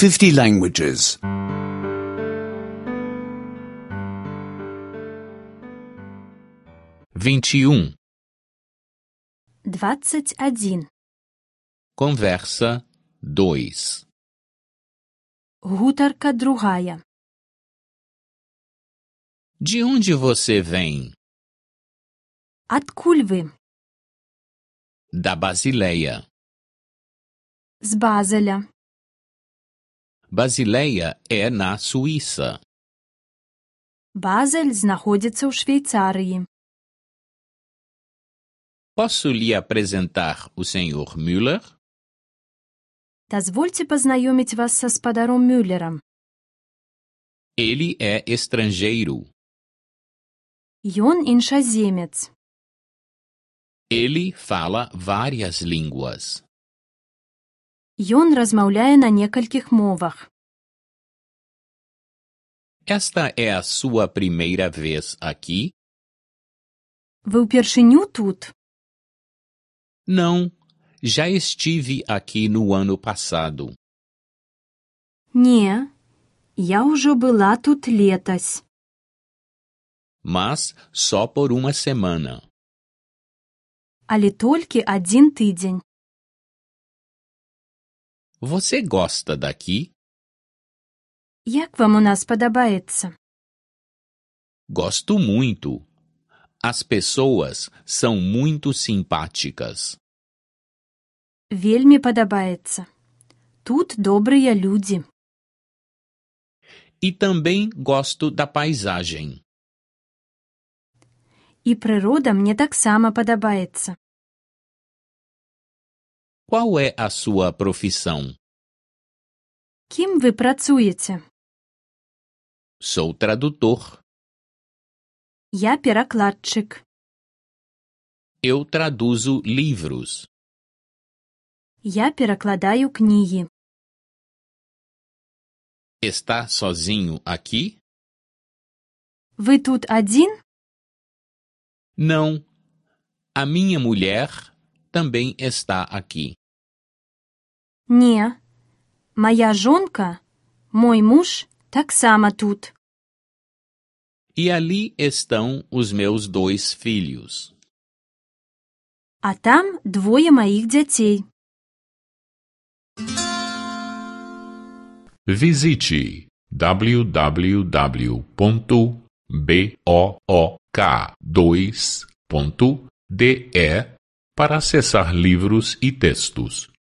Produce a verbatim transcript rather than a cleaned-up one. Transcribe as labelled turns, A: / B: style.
A: fifty languages.
B: vinte e um.
C: двадцать один.
B: Conversa dois.
C: Гутарка другая.
B: De onde você vem?
C: Адкуль вы?
B: Da Basileia.
C: З Базеля.
B: Basileia é na Suíça.
C: Базель знаходзіцца ў Швейцарыі.
B: Posso lhe apresentar o senhor Müller?
C: Дазвольце пазнаёміць вас са спадаром Мюллерам.
B: Ele é estrangeiro.
C: Ён іншаземец.
B: Ele fala várias línguas.
C: Ён размаўляе на некалькіх мовах.
B: Esta é a sua primeira vez aqui?
C: Вы ўпершыню тут?
B: Não, já estive aqui no ano passado.
C: Не, я ўжо была тут летась.
B: Mas só por uma semana.
C: Але толькі адзін тыдзень.
B: Você gosta daqui?
C: Як вам у нас падабаецца?
B: Gosto muito. As pessoas são muito simpáticas.
C: Вельмі падабаецца. Тут добрыя людзі.
B: E também gosto da paisagem.
C: І прырода мне таксама падабаецца.
B: Qual é a sua profissão?
C: Кім вы працуеце?
B: Sou tradutor.
C: Я перакладчык.
B: Eu traduzo livros.
C: Я перакладаю кнігі.
B: Está sozinho aqui?
C: Вы тут адзін?
B: Não. A minha mulher também está aqui.
C: Не. Мая жонка, мой муж, таксама тут.
B: E ali estão os meus dois filhos.
C: А там двое маіх дзяцей.
D: Visite w w w ponto book dois ponto de para acessar livros e textos.